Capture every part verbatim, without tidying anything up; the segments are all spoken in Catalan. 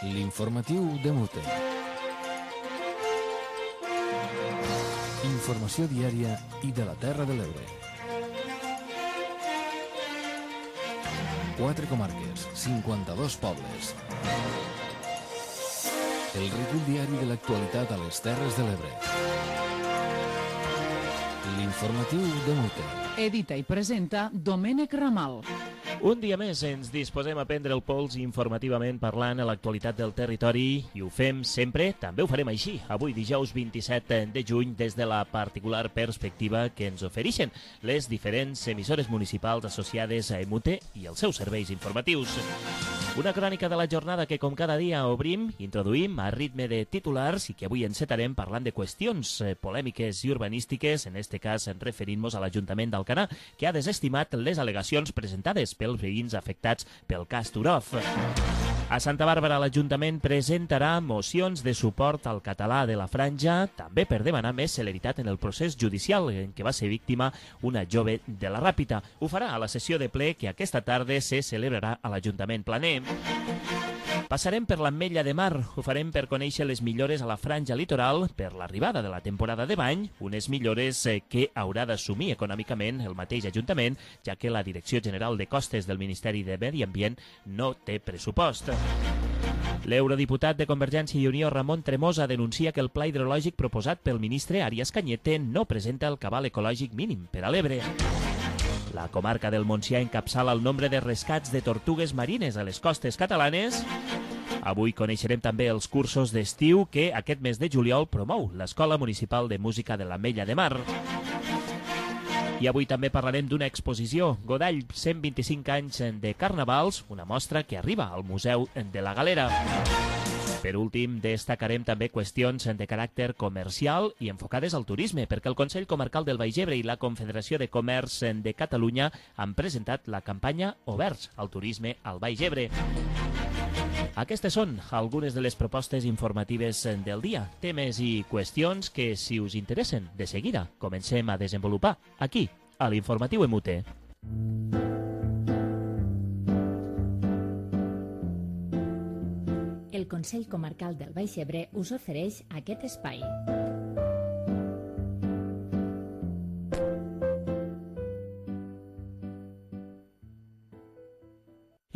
L'informatiu de Mute. Informació diària i de la Terra de l'Ebre. Quatre comarques, cinquanta-dos pobles. El recull diari de l'actualitat a les Terres de l'Ebre. L'informatiu de Mute. Edita i presenta Domènec Ramal. Un dia més ens disposem a prendre el pols informativament parlant a l'actualitat del territori i ho fem sempre, també ho farem així, avui dijous vint-i-set de juny des de la particular perspectiva que ens ofereixen les diferents emissores municipals associades a Emute i els seus serveis informatius. Una crònica de la jornada que com cada dia obrim, introduïm a ritme de titulars i que avui encetarem parlant de qüestions polèmiques i urbanístiques, en este cas referint-nos a l'Ajuntament d'Alcanar, que ha desestimat les al·legacions presentades pels veïns afectats pel cas Turov. A Santa Bàrbara l'Ajuntament presentarà mocions de suport al català de la Franja, també per demanar més celeritat en el procés judicial en què va ser víctima una jove de la Ràpita. Ho farà a la sessió de ple que aquesta tarda se celebrarà a l'Ajuntament Planer. Passarem per l'Ametlla de Mar, ho farem per conèixer les millores a la franja litoral per l'arribada de la temporada de bany, unes millores que haurà d'assumir econòmicament el mateix Ajuntament, ja que la Direcció General de Costes del Ministeri de Medi Ambient no té pressupost. L'eurodiputat de Convergència i Unió, Ramon Tremosa, denuncia que el pla hidrològic proposat pel ministre Arias Cañete no presenta el cabal ecològic mínim per a l'Ebre. La comarca del Montsià encapçala el nombre de rescats de tortugues marines a les costes catalanes. Avui coneixerem també els cursos d'estiu que aquest mes de juliol promou l'Escola Municipal de Música de l'Ametlla de Mar. I avui també parlarem d'una exposició, Godall, cent vint-i-cinc anys de carnavals, una mostra que arriba al Museu de la Galera. Per últim, destacarem també qüestions de caràcter comercial i enfocades al turisme, perquè el Consell Comarcal del Baix Ebre i la Confederació de Comerç de Catalunya han presentat la campanya Oberts al turisme al Baix Ebre. Aquestes són algunes de les propostes informatives del dia, temes i qüestions que, si us interessen, de seguida comencem a desenvolupar aquí, a l'Informatiu Emute. El Consell Comarcal del Baix Ebre us ofereix aquest espai.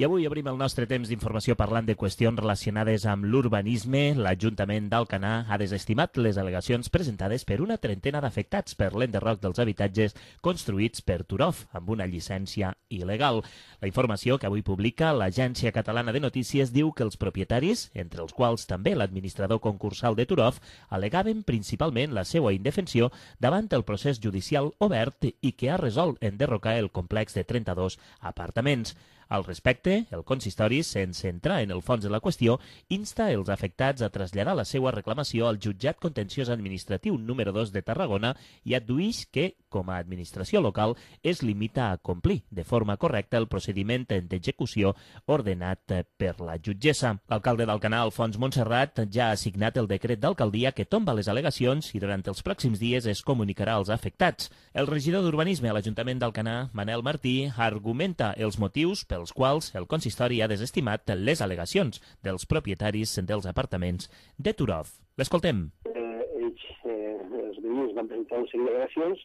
I avui obrim el nostre temps d'informació parlant de qüestions relacionades amb l'urbanisme. L'Ajuntament d'Alcanar ha desestimat les al·legacions presentades per una trentena d'afectats per l'enderroc dels habitatges construïts per Turov amb una llicència il·legal. La informació que avui publica l'Agència Catalana de Notícies diu que els propietaris, entre els quals també l'administrador concursal de Turov, al·legaven principalment la seva indefensió davant el procés judicial obert i que ha resolt enderrocar el complex de trenta-dos apartaments. Al respecte, el consistori, sense entrar en el fons de la qüestió, insta els afectats a traslladar la seva reclamació al Jutjat Contenciós Administratiu número dos de Tarragona i adduïx que, com a administració local, es limita a complir de forma correcta el procediment d'execució ordenat per la jutgessa. L'alcalde d'Alcanar, Alfons Montserrat, ja ha signat el decret d'alcaldia que tomba les al·legacions i durant els pròxims dies es comunicarà als afectats. El regidor d'Urbanisme a l'Ajuntament d'Alcanar, Manel Martí, argumenta els motius pel els quals el consistori ha desestimat les al·legacions dels propietaris dels apartaments de Turov. L'escoltem. Eh, ells, eh, els veïns van presentar un seguit d'al·legacions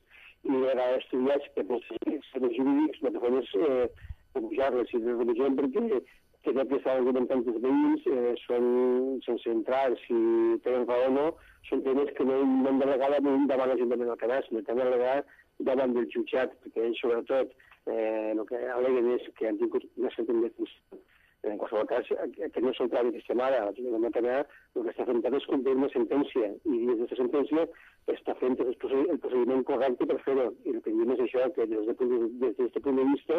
i era estudiats per els serveis jurídics, no te fes eh, pujar-les i rebutjar perquè tot que estan argumentant els veïns eh, són sense entrar, si tenen raó o no, són temes que no, no han d'al·legar davant l'Ajuntament d'Alcanar, sinó que han d'al·legar davant del jutjat, perquè ells sobretot Eh, el que al·leguen és que han tingut una sentència. En qualsevol cas, que no és el tràmit que estem ara, l'Ajuntament d'Alcanar el que està fent és complir una sentència i des d'aquesta sentència està fent el procediment correcte per fer-ho. I el que diem és això, que des d'aquest punt de vista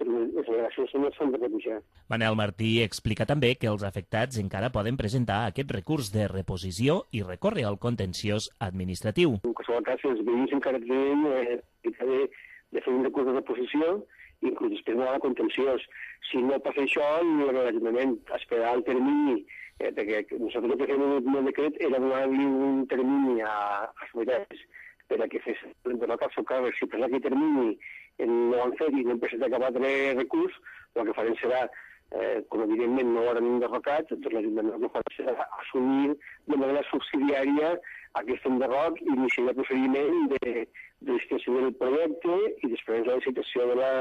les al·legacions no s'han de rebutjar. Manel Martí explica també que els afectats encara poden presentar aquest recurs de reposició i recórrer al contenciós administratiu. En qualsevol cas, els veïns encara tenen eh, de fer un recurs de reposició i inclús després no hi ha contenciós. Si no passa això, l'Ajuntament esperarà el termini, eh, perquè nosaltres el que fem en el decret era donar-li un termini a, als veïns per a que fes l'enderroc al seu càrrec. Si per aquest termini no ho han fet i no hem presentat cap altre recurs, el que farem serà eh, com evidentment no eren enderrocats, doncs l'Ajuntament el que fa serà assumir de manera subsidiària aquest enderroc i iniciar el procediment de, de licitació del projecte i després la licitació de la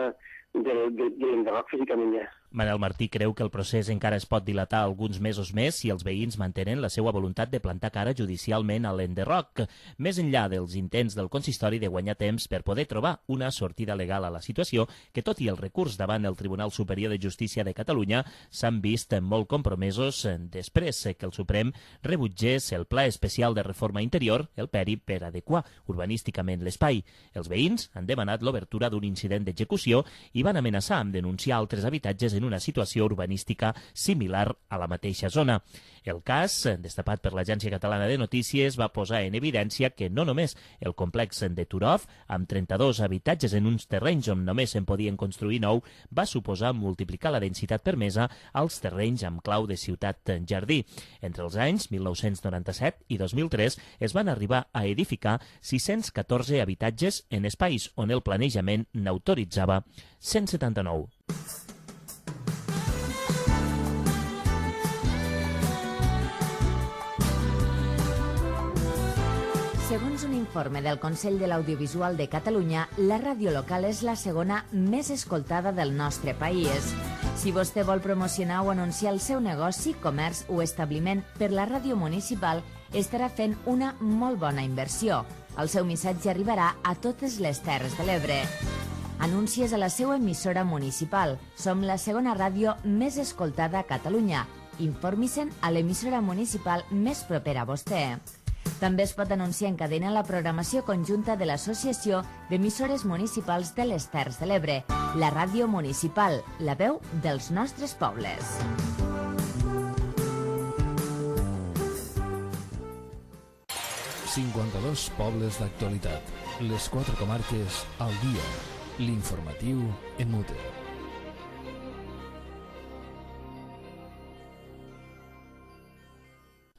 de, de, de l'enderroc físicament ja. Manel Martí creu que el procés encara es pot dilatar alguns mesos més si els veïns mantenen la seva voluntat de plantar cara judicialment a l'enderroc, més enllà dels intents del consistori de guanyar temps per poder trobar una sortida legal a la situació que, tot i el recurs davant el Tribunal Superior de Justícia de Catalunya, s'han vist molt compromesos després que el Suprem rebutgés el Pla Especial de Reforma Interior, el PERI, per adequar urbanísticament l'espai. Els veïns han demanat l'obertura d'un incident d'execució i van amenaçar amb denunciar altres habitatges en una situació urbanística similar a la mateixa zona. El cas, destapat per l'Agència Catalana de Notícies, va posar en evidència que no només el complex de Turov, amb trenta-dos habitatges en uns terrenys on només se'n podien construir nou, va suposar multiplicar la densitat permesa als terrenys amb clau de ciutat-jardí. Entre els anys mil nou-cents noranta-set i dos mil tres es van arribar a edificar sis-cents catorze habitatges en espais on el planejament n'autoritzava cent setanta-nou. Segons un informe del Consell de l'Audiovisual de Catalunya, la ràdio local és la segona més escoltada del nostre país. Si vostè vol promocionar o anunciar el seu negoci, comerç o establiment per la ràdio municipal, estarà fent una molt bona inversió. El seu missatge arribarà a totes les Terres de l'Ebre. Anuncies a la seva emissora municipal. Som la segona ràdio més escoltada a Catalunya. Informi-se'n a l'emissora municipal més propera a vostè. També es pot anunciar en cadena la programació conjunta de l'Associació d'Emissores Municipals de les Terres de l'Ebre, la ràdio municipal, la veu dels nostres pobles. cinquanta-dos pobles d'actualitat. Les quatre comarques al dia. L'informatiu en mute.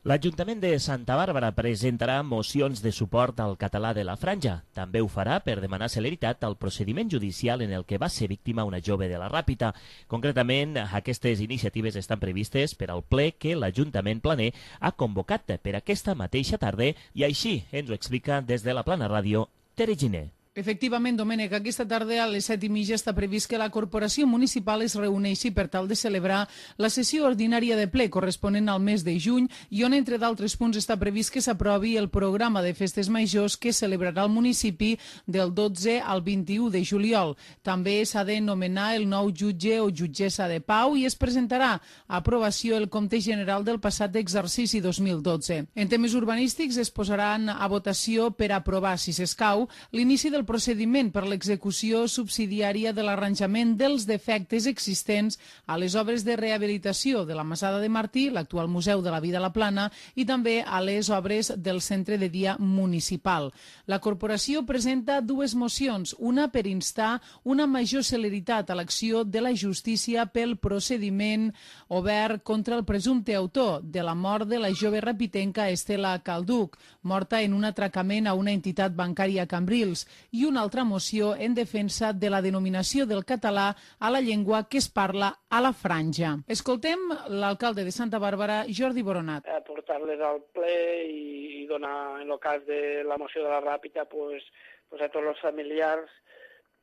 L'Ajuntament de Santa Bàrbara presentarà mocions de suport al català de la Franja. També ho farà per demanar celeritat al procediment judicial en el que va ser víctima una jove de la Ràpita. Concretament, aquestes iniciatives estan previstes per al ple que l'Ajuntament planer ha convocat per aquesta mateixa tarda i així ens ho explica des de la Plana Ràdio, Tere Giner. Efectivament, Domènec, aquesta tarda a les set i mitja està previst que la Corporació Municipal es reuneixi per tal de celebrar la sessió ordinària de ple corresponent al mes de juny i on, entre d'altres punts, està previst que s'aprovi el programa de festes majors que celebrarà el municipi del dotze al vint-i-u de juliol. També s'ha de nomenar el nou jutge o jutgessa de pau i es presentarà a aprovació el compte general del passat exercici dos mil dotze. En temes urbanístics es posaran a votació per aprovar, si s'escau, l'inici del procediment per l'execució subsidiària de l'arranjament dels defectes existents a les obres de rehabilitació de la Masada de Martí, l'actual Museu de la Vida a la Plana, i també a les obres del Centre de Dia Municipal. La corporació presenta dues mocions, una per instar una major celeritat a l'acció de la justícia pel procediment obert contra el presumpte autor de la mort de la jove rapitenca Estela Calduc, morta en un atracament a una entitat bancària a Cambrils, i una altra moció en defensa de la denominació del català a la llengua que es parla a la Franja. Escoltem l'alcalde de Santa Bàrbara, Jordi Boronat. Portar-les al ple i donar, en el cas de la moció de la Ràpita, pues, pues a tots els familiars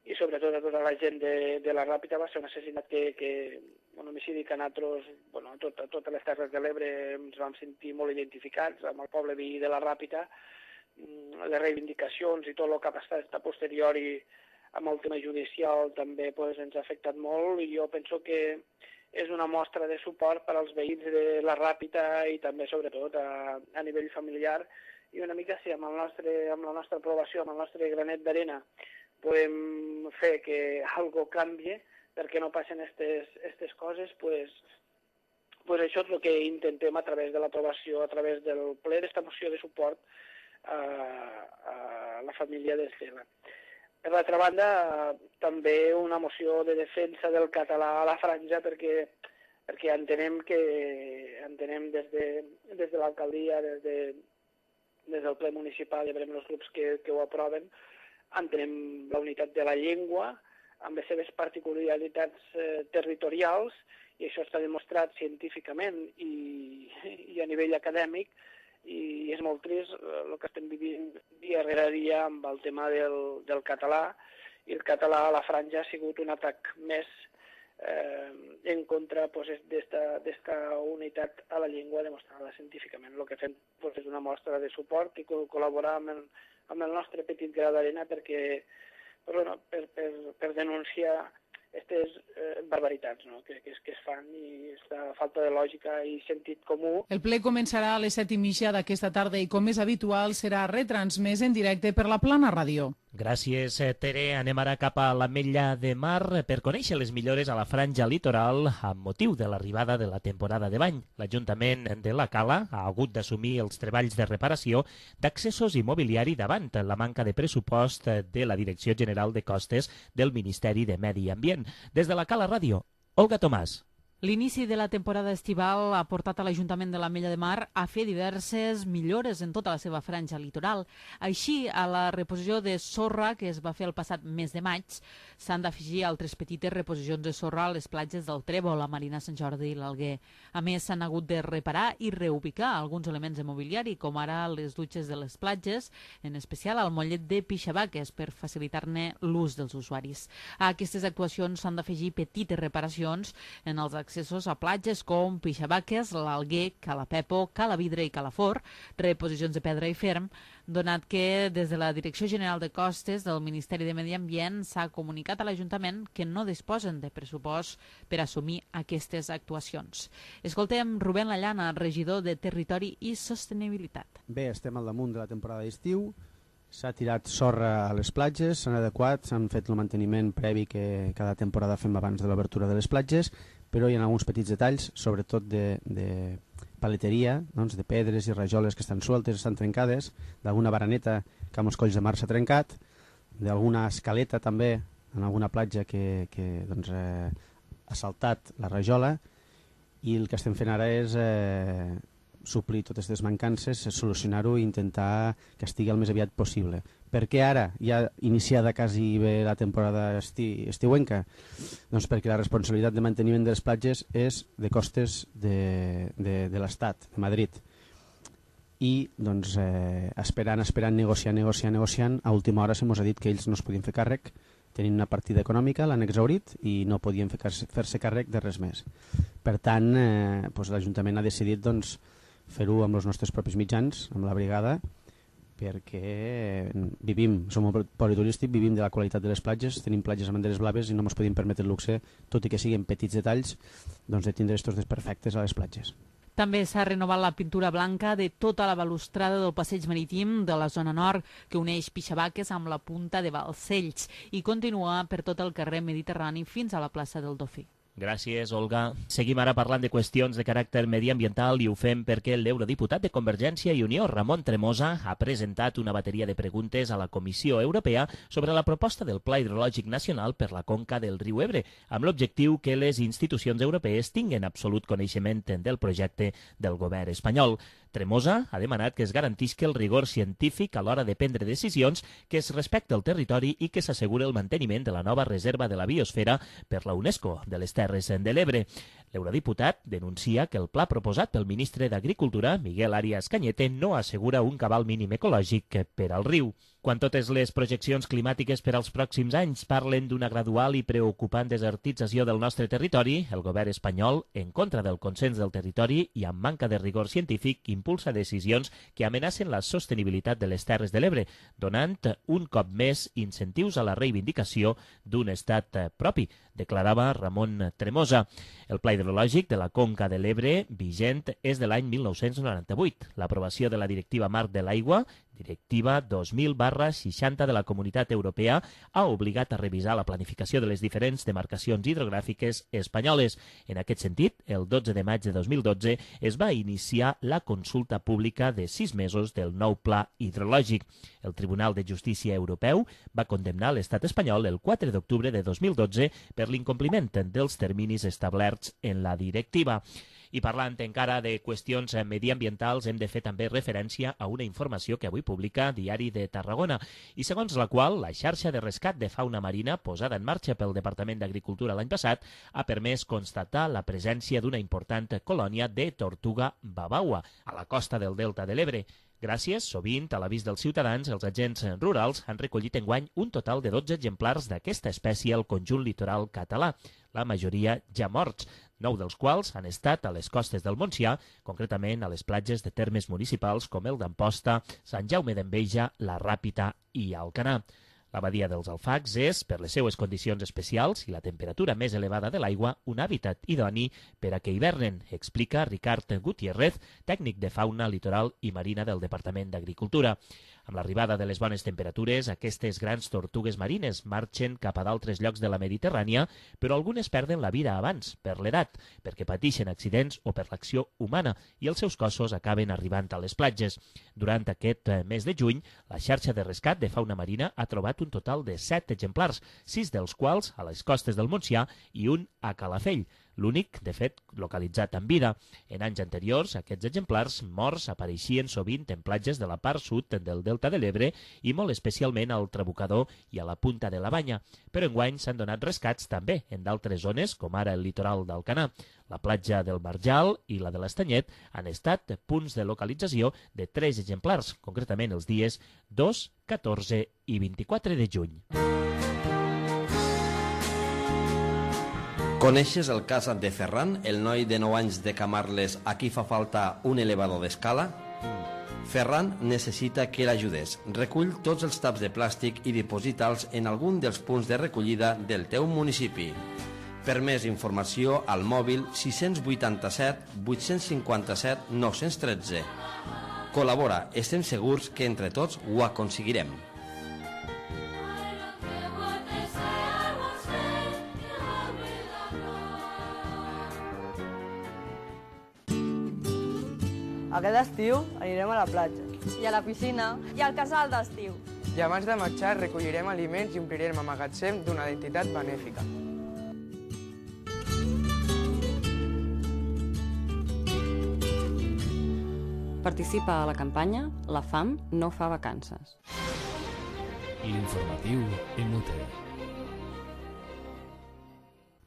i sobretot a tota la gent de, de la Ràpita. Va ser un assassinat que, que un homicidi que a nosaltres, bueno, a, tot, a totes les Terres de l'Ebre ens vam sentir molt identificats amb el poble veí de la Ràpita. Les reivindicacions i tot el que ha passat a posteriori amb el tema judicial també pues, ens ha afectat molt i jo penso que és una mostra de suport per als veïns de la Ràpita i també sobretot a, a nivell familiar i una mica si amb, el nostre, amb la nostra aprovació, amb el nostre granet d'arena podem fer que algo canvie perquè no passen aquestes coses, pues, pues això és el que intentem a través de l'aprovació, a través del ple d'esta moció de suport a, a la família d'Estela. Per l'altra banda, també una moció de defensa del català a la Franja perquè, perquè entenem que entenem des de, des de l'alcaldia, des, de, des del ple municipal, ja veurem els grups que, que ho aproven, entenem la unitat de la llengua amb les seves particularitats eh, territorials i això està demostrat científicament i, i a nivell acadèmic, i és molt trist el que estem vivint dia rere dia amb el tema del, del català, i el català a la franja ha sigut un atac més eh, en contra pues, d'esta unitat a la llengua demostrada científicament. El que fem pues, és una mostra de suport i col·laborar amb el, amb el nostre petit gra d'arena perquè, pues, bueno, per, per, per denunciar aquestes eh, barbaritats, no? que, que, es, que es fan, i aquesta falta de lògica i sentit comú. El ple començarà a les set i mitja d'aquesta tarda i, com és habitual, serà retransmès en directe per la Plana Ràdio. Gràcies, Tere. Anem ara cap a l'Ametlla de Mar per conèixer les millores a la franja litoral amb motiu de l'arribada de la temporada de bany. L'Ajuntament de la Cala ha hagut d'assumir els treballs de reparació d'accessos i mobiliari davant la manca de pressupost de la Direcció General de Costes del Ministeri de Medi Ambient. Des de la Cala Ràdio, Olga Tomàs. L'inici de la temporada estival ha portat a l'Ajuntament de l'Ametlla de Mar a fer diverses millores en tota la seva franja litoral. Així, a la reposició de sorra que es va fer el passat mes de maig, s'han d'afegir altres petites reposicions de sorra a les platges del Trèvol, la Marina Sant Jordi i l'Alguer. A més, s'han hagut de reparar i reubicar alguns elements de mobiliari, com ara les dutxes de les platges, en especial al mollet de Pixabaques, per facilitar-ne l'ús dels usuaris. A aquestes actuacions s'han d'afegir petites reparacions en els accessos a platges com Pixabaques, l'Alguer, Calapepo, Calavidre i Calafort, reposicions de pedra i ferm, donat que des de la Direcció General de Costes del Ministeri de Medi Ambient s'ha comunicat a l'Ajuntament que no disposen de pressupost per assumir aquestes actuacions. Escoltem Rubén Lallana, regidor de Territori i Sostenibilitat. Bé, estem al damunt de la temporada d'estiu, s'ha tirat sorra a les platges, s'han adequat, s'han fet el manteniment previ que cada temporada fem abans de l'obertura de les platges, però hi ha alguns petits detalls, sobretot de, de paleteria, doncs, de pedres i rajoles que estan sueltes, estan trencades, d'alguna baraneta que amb els colls de mar s'ha trencat, d'alguna escaleta també en alguna platja que, que doncs, eh, ha saltat la rajola, i el que estem fent ara és eh, suplir totes aquestes mancances, solucionar-ho i intentar que estigui el més aviat possible. Per què ara, ja iniciada quasi bé la temporada esti estiuenca? Doncs perquè la responsabilitat de manteniment de les platges és de costes de, de, de l'Estat, de Madrid. I doncs, eh, esperant, esperant, negociant, negociant, negociant, a última hora se mos ha dit que ells no es podien fer càrrec, tenint una partida econòmica, l'han exhaurit i no podien fer-se càrrec de res més. Per tant, eh, doncs l'Ajuntament ha decidit doncs, fer-ho amb els nostres propis mitjans, amb la brigada, perquè vivim, som un poli turístic, vivim de la qualitat de les platges, tenim platges amb banderes blaves i no ens podem permetre el luxe, tot i que siguin petits detalls, doncs de tindre estos desperfectes a les platges. També s'ha renovat la pintura blanca de tota la balustrada del passeig marítim de la zona nord que uneix Pixabaques amb la punta de Balcells i continua per tot el carrer Mediterrani fins a la plaça del Dofí. Gràcies, Olga. Seguim ara parlant de qüestions de caràcter mediambiental i ho fem perquè l'eurodiputat de Convergència i Unió, Ramon Tremosa, ha presentat una bateria de preguntes a la Comissió Europea sobre la proposta del Pla Hidrològic Nacional per la conca del riu Ebre, amb l'objectiu que les institucions europees tinguin absolut coneixement del projecte del govern espanyol. Tremosa ha demanat que es garantisca el rigor científic a l'hora de prendre decisions, que es respecte el territori i que s'asseguri el manteniment de la nova reserva de la biosfera per la UNESCO de les Terres de l'Ebre. L'eurodiputat denuncia que el pla proposat pel ministre d'Agricultura, Miguel Arias Cañete, no assegura un cabal mínim ecològic per al riu. Quan totes les projeccions climàtiques per als pròxims anys parlen d'una gradual i preocupant desertització del nostre territori, el govern espanyol, en contra del consens del territori i amb manca de rigor científic, impulsa decisions que amenacen la sostenibilitat de les Terres de l'Ebre, donant un cop més incentius a la reivindicació d'un estat propi, declarava Ramon Tremosa. El pla hidrològic de la conca de l'Ebre vigent és de l'any mil nou-cents noranta-vuit. L'aprovació de la Directiva Marc de l'Aigua, Directiva dos mil barra seixanta de la Comunitat Europea, ha obligat a revisar la planificació de les diferents demarcacions hidrogràfiques espanyoles. En aquest sentit, el dotze de maig de dos mil dotze es va iniciar la consulta pública de sis mesos del nou pla hidrològic. El Tribunal de Justícia Europeu va condemnar l'estat espanyol el quatre d'octubre de dos mil dotze per l'incompliment dels terminis establerts en la directiva. I parlant encara de qüestions mediambientals, hem de fer també referència a una informació que avui publica Diari de Tarragona i segons la qual la xarxa de rescat de fauna marina posada en marxa pel Departament d'Agricultura l'any passat ha permès constatar la presència d'una important colònia de tortuga babaua a la costa del Delta de l'Ebre. Gràcies, sovint, a l'avís dels ciutadans, els agents rurals han recollit enguany un total de dotze exemplars d'aquesta espècie al conjunt litoral català, la majoria ja morts, nou dels quals han estat a les costes del Montsià, concretament a les platges de termes municipals com el d'Amposta, Sant Jaume d'Enveja, la Ràpita i Alcanar. La badia dels Alfacs és, per les seues condicions especials i la temperatura més elevada de l'aigua, un hàbitat idoni per a que hivernen, explica Ricard Gutiérrez, tècnic de fauna litoral i marina del Departament d'Agricultura. Amb l'arribada de les bones temperatures, aquestes grans tortugues marines marxen cap a d'altres llocs de la Mediterrània, però algunes perden la vida abans, per l'edat, perquè pateixen accidents o per l'acció humana, i els seus cossos acaben arribant a les platges. Durant aquest mes de juny, la xarxa de rescat de fauna marina ha trobat un total de set exemplars, sis dels quals a les costes del Montsià i un a Calafell, l'únic, de fet, localitzat en vida. En anys anteriors, aquests exemplars morts apareixien sovint en platges de la part sud del Delta de l'Ebre i molt especialment al Trabucador i a la Punta de la Banya, però enguany s'han donat rescats també en d'altres zones, com ara el litoral d'Alcanar. La platja del Marjal i la de l'Estanyet han estat punts de localització de tres exemplars, concretament els dies dos, catorze i vint-i-quatre de juny. Coneixes el cas de Ferran, el noi de nou anys de Camarles a qui fa falta un elevador d'escala? Ferran necessita que l'ajudes. Recull tots els taps de plàstic i diposita'ls en algun dels punts de recollida del teu municipi. Per més informació, al mòbil sis vuitanta-set vuit cinquanta-set nou tretze. Col·labora, estem segurs que entre tots ho aconseguirem. Aquest estiu anirem a la platja. I a la piscina. I al casal d'estiu. I abans de marxar recollirem aliments i omplirem el magatzem d'una entitat benèfica. Participa a la campanya La fam no fa vacances. L'informatiu en Mute.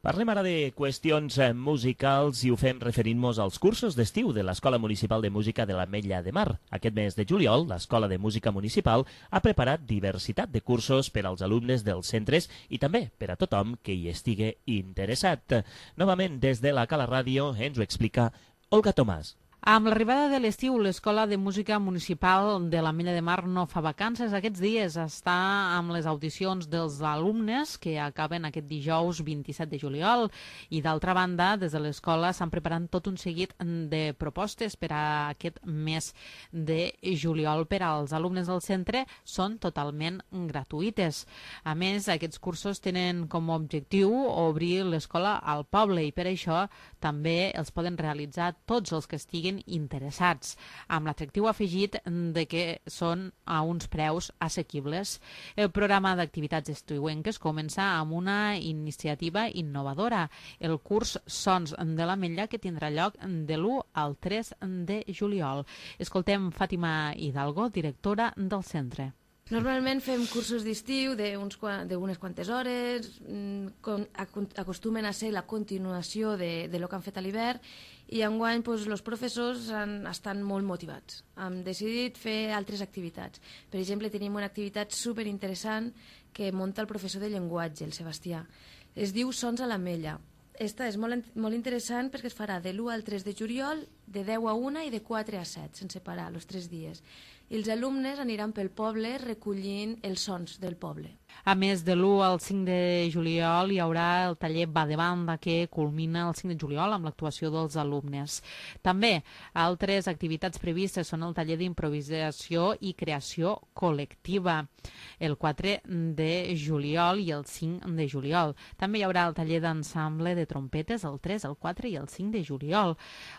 Parlem ara de qüestions musicals i ho fem referint-nos als cursos d'estiu de l'Escola Municipal de Música de l'Ametlla de Mar. Aquest mes de juliol, l'Escola de Música Municipal ha preparat diversitat de cursos per als alumnes dels centres i també per a tothom que hi estigui interessat. Novament, des de la Cala Ràdio, ens ho explica Olga Tomàs. Amb l'arribada de l'estiu, l'Escola de Música Municipal de l'Ametlla de Mar no fa vacances. Aquests dies està amb les audicions dels alumnes que acaben aquest dijous vint-i-set de juliol i d'altra banda, des de l'escola s'han preparat tot un seguit de propostes per a aquest mes de juliol per als alumnes del centre. Són totalment gratuïtes. A més, aquests cursos tenen com a objectiu obrir l'escola al poble i per això també els poden realitzar tots els que estiguin interessats, amb l'atractiu afegit de que són a uns preus assequibles. El programa d'activitats estiuenques comença amb una iniciativa innovadora, el curs Sons de l'Ametlla, que tindrà lloc de l'u al tres de juliol. Escoltem Fàtima Hidalgo, directora del centre. Normalment fem cursos d'estiu d'unes quantes hores, acostumen a ser la continuació de, de lo que han fet a l'hivern i enguany doncs, els professors han, estan molt motivats. Hem decidit fer altres activitats. Per exemple, tenim una activitat superinteressant que munta el professor de llenguatge, el Sebastià. Es diu Sons a l'Ametlla. Esta és molt, molt interessant perquè es farà de l'u al tres de juliol, de deu a una i de quatre a set, sense parar, els tres dies. I els alumnes aniran pel poble recollint els sons del poble. A més, de l'u al cinc de juliol hi haurà el taller Va de Banda, que culmina el cinc de juliol amb l'actuació dels alumnes. També altres activitats previstes són el taller d'improvisació i creació col·lectiva, el quatre de juliol i el cinc de juliol. També hi haurà el taller d'ensemble de trompetes el tres, el quatre i el cinc de juliol.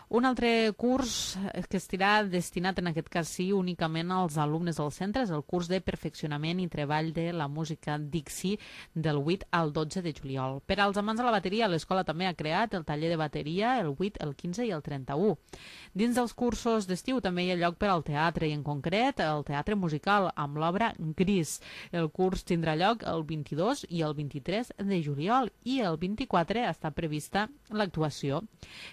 Un altre curs que estarà destinat, en aquest cas sí, únicament gratuïtament als alumnes dels centres el curs de perfeccionament i treball de la música Dixie del vuit al dotze de juliol. Per als amants de la bateria, l'escola també ha creat el taller de bateria el vuit, el quinze i el trenta-u. Dins dels cursos d'estiu també hi ha lloc per al teatre i en concret el teatre musical amb l'obra Gris. El curs tindrà lloc el vint-i-dos i el vint-i-tres de juliol i el vint-i-quatre està prevista l'actuació.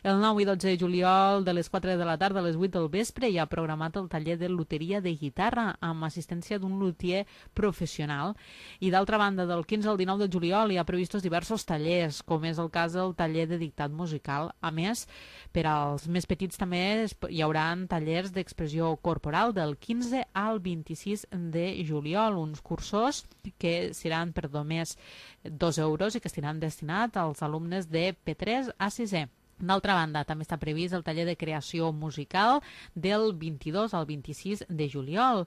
El nou i dotze de juliol de les quatre de la tarda a les vuit del vespre hi ha programat el taller de luteria de guitarra amb assistència d'un luthier professional. I d'altra banda, del quinze al dinou de juliol hi ha previstos diversos tallers, com és el cas del taller de dictat musical. A més, per als més petits també hi haurà tallers d'expressió corporal del quinze al vint-i-sis de juliol, uns cursos que seran per només dos euros i que estaran destinats als alumnes de P tres a sisè. D'altra banda, també està previst el taller de creació musical del vint-i-dos al vint-i-sis de juliol.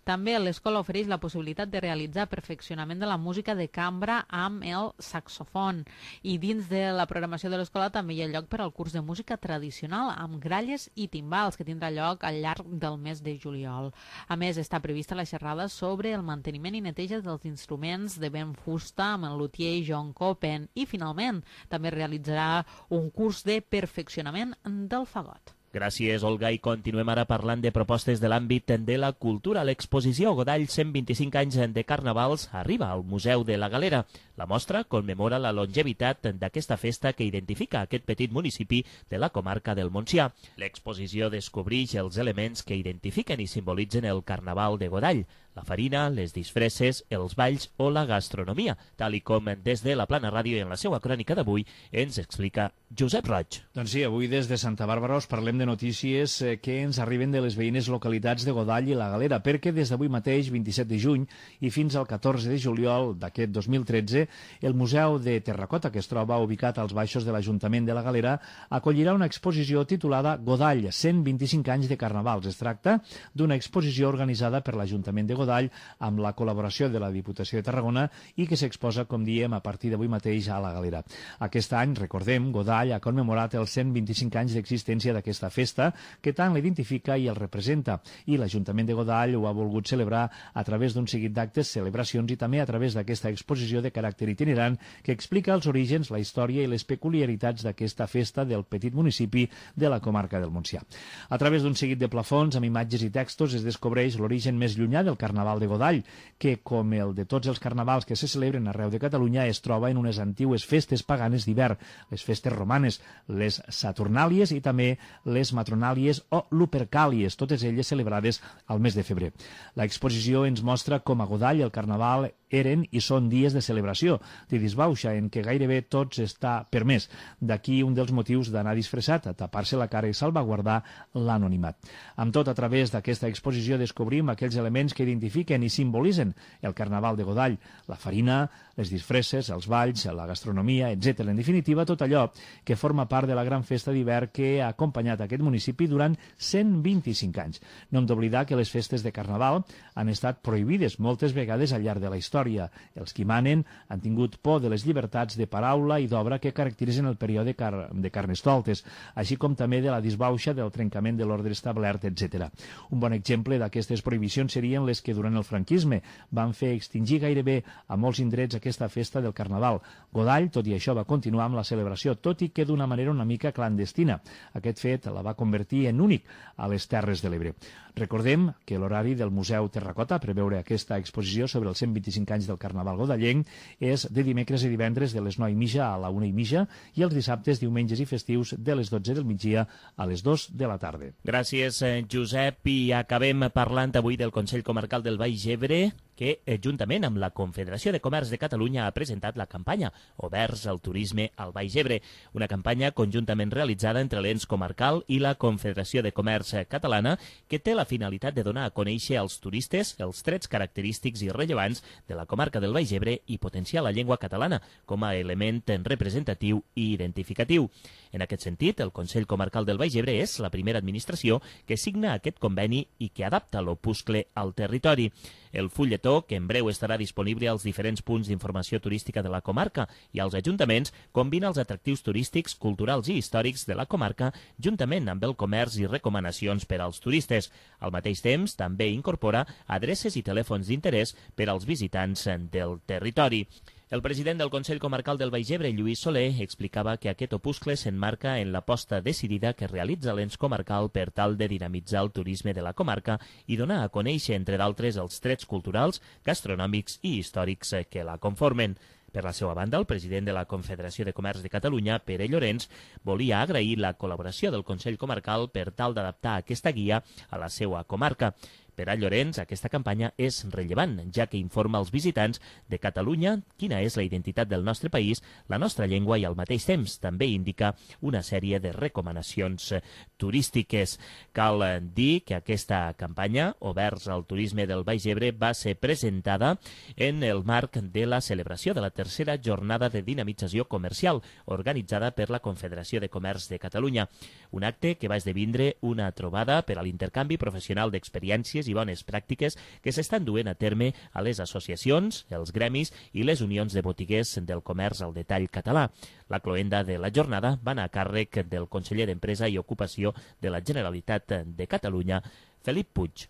També l'escola ofereix la possibilitat de realitzar perfeccionament de la música de cambra amb el saxofon. I dins de la programació de l'escola també hi ha lloc per al curs de música tradicional amb gralles i timbals, que tindrà lloc al llarg del mes de juliol. A més, està prevista la xerrada sobre el manteniment i neteja dels instruments de vent fusta amb el luthier John Copen. I, finalment, també realitzarà un curs de perfeccionament del fagot. Gràcies, Olga, i continuem ara parlant de propostes de l'àmbit de la cultura. L'exposició Godall cent vint-i-cinc anys de Carnavals arriba al Museu de la Galera. La mostra commemora la longevitat d'aquesta festa que identifica aquest petit municipi de la comarca del Montsià. L'exposició descobreix els elements que identifiquen i simbolitzen el Carnaval de Godall, la farina, les disfresses, els balls o la gastronomia, tal i com des de la Plana Ràdio i en la seva crònica d'avui ens explica Josep Roig. Doncs sí, avui des de Santa Bàrbara us parlem de notícies que ens arriben de les veïnes localitats de Godall i la Galera, perquè des d'avui mateix, vint-i-set de juny, i fins al catorze de juliol d'aquest dos mil tretze, el Museu de Terracota, que es troba ubicat als baixos de l'Ajuntament de la Galera, acollirà una exposició titulada Godall, cent vint-i-cinc anys de Carnavals. Es tracta d'una exposició organitzada per l'Ajuntament de Godall amb la col·laboració de la Diputació de Tarragona i que s'exposa, com diem, a partir d'avui mateix a la Galera. Aquest any, recordem, Godall ha commemorat els cent vint-i-cinc anys d'existència d'aquesta festa que tant l'identifica i el representa, i l'Ajuntament de Godall ho ha volgut celebrar a través d'un seguit d'actes, celebracions i també a través d'aquesta exposició de caràcter itinerant que explica els orígens, la història i les peculiaritats d'aquesta festa del petit municipi de la comarca del Montsià. A través d'un seguit de plafons amb imatges i textos es descobreix l'origen més llunyà del Carnaval de Godall, que, com el de tots els carnavals que se celebren arreu de Catalunya, es troba en unes antigues festes paganes d'hivern, les festes romanes, les Saturnàlies i també les Matronàlies o Lupercàlies, totes elles celebrades al mes de febrer. L'exposició ens mostra com a Godall el Carnaval eren i són dies de celebració, de disbauxa, en què gairebé tots està permès. D'aquí un dels motius d'anar disfressat, a tapar-se la cara i salvaguardar l'anonimat. Amb tot, a través d'aquesta exposició descobrim aquells elements que identifiquen i simbolitzen el Carnaval de Godall, la farina, les disfresses, els balls, la gastronomia, etcètera. En definitiva, tot allò que forma part de la gran festa d'hivern que ha acompanyat aquest municipi durant cent vint-i-cinc anys. No hem d'oblidar que les festes de Carnaval han estat prohibides moltes vegades al llarg de la història. Els qui manen han tingut por de les llibertats de paraula i d'obra que caracteritzen el període car de Carnestoltes, així com també de la disbauxa, del trencament de l'ordre establert, etcètera. Un bon exemple d'aquestes prohibicions serien les que durant el franquisme van fer extingir gairebé a molts indrets aquesta festa del Carnaval. Godall, tot i això, va continuar amb la celebració, tot i que d'una manera una mica clandestina. Aquest fet la va convertir en únic a les Terres de l'Ebre. Recordem que l'horari del Museu Terracota per veure aquesta exposició sobre els cent vint-i-cinc anys del Carnaval godallenc és de dimecres i divendres de les nou i mitja a la una i mitja i els dissabtes, diumenges i festius de les dotze del migdia a les dos de la tarda. Gràcies, Josep. I acabem parlant avui del Consell Comarcal del Baix Ebre, que, juntament amb la Confederació de Comerç de Catalunya, ha presentat la campanya Oberts al Turisme al Baix Ebre, una campanya conjuntament realitzada entre l'ens comarcal i la Confederació de Comerç Catalana, que té la finalitat de donar a conèixer als turistes els trets característics i rellevants de la comarca del Baix Ebre i potenciar la llengua catalana com a element representatiu i identificatiu. En aquest sentit, el Consell Comarcal del Baix Ebre és la primera administració que signa aquest conveni i que adapta l'opuscle al territori. El fulletó cartó que en breu estarà disponible als diferents punts d'informació turística de la comarca i als ajuntaments combina els atractius turístics, culturals i històrics de la comarca juntament amb el comerç i recomanacions per als turistes. Al mateix temps, també incorpora adreces i telèfons d'interès per als visitants del territori. El president del Consell Comarcal del Baix Ebre, Lluís Soler, explicava que aquest opuscle s'enmarca en l'aposta decidida que realitza l'ens comarcal per tal de dinamitzar el turisme de la comarca i donar a conèixer, entre d'altres, els trets culturals, gastronòmics i històrics que la conformen. Per la seva banda, el president de la Confederació de Comerç de Catalunya, Pere Llorenç, volia agrair la col·laboració del Consell Comarcal per tal d'adaptar aquesta guia a la seva comarca. Per a Llorenç, aquesta campanya és rellevant, ja que informa als visitants de Catalunya quina és la identitat del nostre país, la nostra llengua i al mateix temps també indica una sèrie de recomanacions turístiques. Cal dir que aquesta campanya, Oberts al turisme del Baix Ebre, va ser presentada en el marc de la celebració de la tercera jornada de dinamització comercial organitzada per la Confederació de Comerç de Catalunya. Un acte que va esdevindre una trobada per a l'intercanvi professional d'experiències i bones pràctiques que s'estan duent a terme a les associacions, els gremis i les unions de botiguers del comerç al detall català. La cloenda de la jornada va anar a càrrec del conseller d'Empresa i Ocupació de la Generalitat de Catalunya, Felip Puig.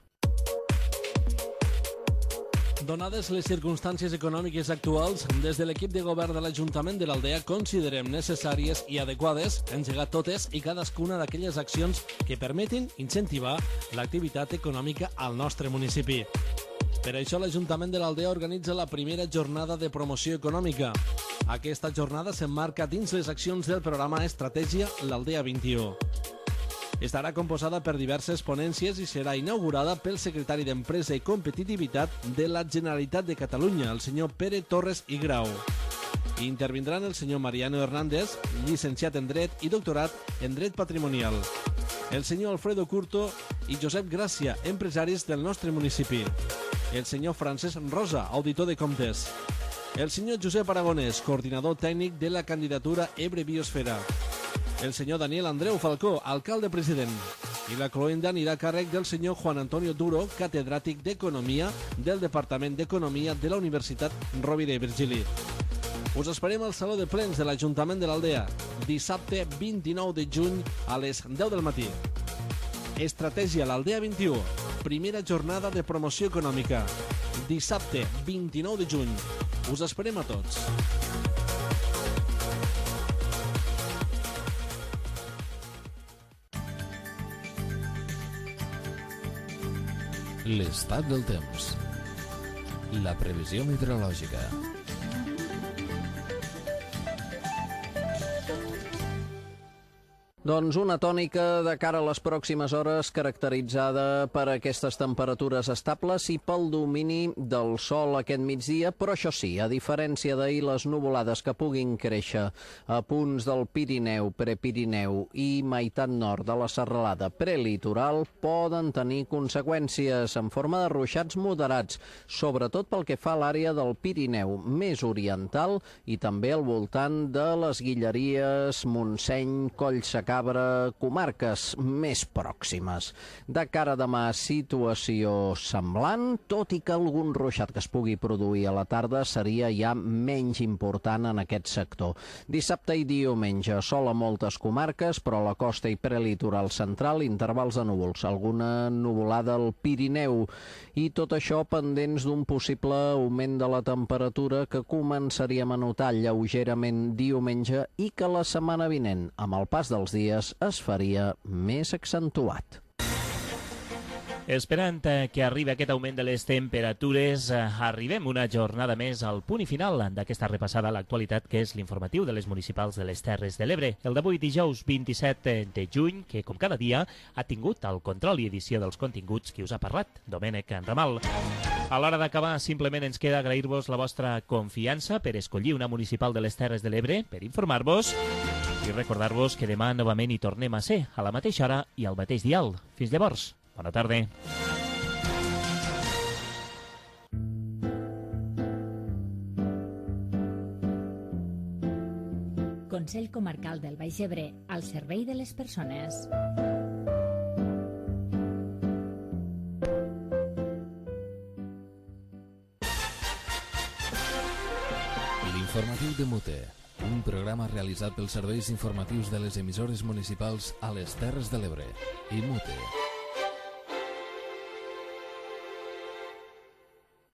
Donades les circumstàncies econòmiques actuals, des de l'equip de govern de l'Ajuntament de l'Aldea considerem necessàries i adequades engegar totes i cadascuna d'aquelles accions que permetin incentivar l'activitat econòmica al nostre municipi. Per això l'Ajuntament de l'Aldea organitza la primera jornada de promoció econòmica. Aquesta jornada s'emmarca dins les accions del programa Estratègia l'Aldea vint-i-u. Estarà composada per diverses ponències i serà inaugurada pel secretari d'Empresa i Competitivitat de la Generalitat de Catalunya, el senyor Pere Torres i Grau. Intervindran el senyor Mariano Hernández, llicenciat en Dret i doctorat en Dret Patrimonial, el senyor Alfredo Curto i Josep Gràcia, empresaris del nostre municipi, el senyor Francesc Rosa, auditor de comptes, el senyor Josep Aragonès, coordinador tècnic de la candidatura Ebre Biosfera, el senyor Daniel Andreu Falcó, alcalde president, i la cloenda anirà a càrrec del senyor Juan Antonio Duro, catedràtic d'Economia del Departament d'Economia de la Universitat Rovira i Virgili. Us esperem al Saló de Plens de l'Ajuntament de l'Aldea, dissabte vint-i-nou de juny a les deu del matí. Estratègia l'Aldea vint-i-u, primera jornada de promoció econòmica, dissabte vint-i-nou de juny. Us esperem a tots. L'estat del temps. La previsió meteorològica. Doncs una tònica de cara a les pròximes hores caracteritzada per aquestes temperatures estables i pel domini del sol aquest migdia, però això sí, a diferència d'ahir, les nuvolades que puguin créixer a punts del Pirineu, Prepirineu i meitat nord de la serralada prelitoral poden tenir conseqüències en forma de ruixats moderats, sobretot pel que fa a l'àrea del Pirineu més oriental i també al voltant de les Guilleries, Montseny, Collsecar, Cabra, comarques més pròximes. De cara a demà, situació semblant, tot i que algun ruixat que es pugui produir a la tarda seria ja menys important en aquest sector. Dissabte i diumenge, sol a moltes comarques, però a la costa i prelitoral central, intervals de núvols, alguna nuvolada al Pirineu, i tot això pendents d'un possible augment de la temperatura que començaríem a notar lleugerament diumenge i que la setmana vinent, amb el pas dels dies, es faria més accentuat. Esperant que arribi aquest augment de les temperatures, arribem una jornada més al punt i final d'aquesta repassada a l'actualitat, que és l'informatiu de les municipals de les Terres de l'Ebre. El d'avui, dijous vint-i-set de juny, que com cada dia ha tingut el control i edició dels continguts qui us ha parlat, Domènec Ramal. A l'hora d'acabar, simplement ens queda agrair-vos la vostra confiança per escollir una municipal de les Terres de l'Ebre, per informar-vos i recordar-vos que demà novament hi tornem a ser, a la mateixa hora i al mateix dial. Fins llavors. Bona tarda. Consell Comarcal del Baix Ebre, al servei de les persones. L'informatiu de Mute, un programa realitzat pels serveis informatius de les emissores municipals a les Terres de l'Ebre i Mute.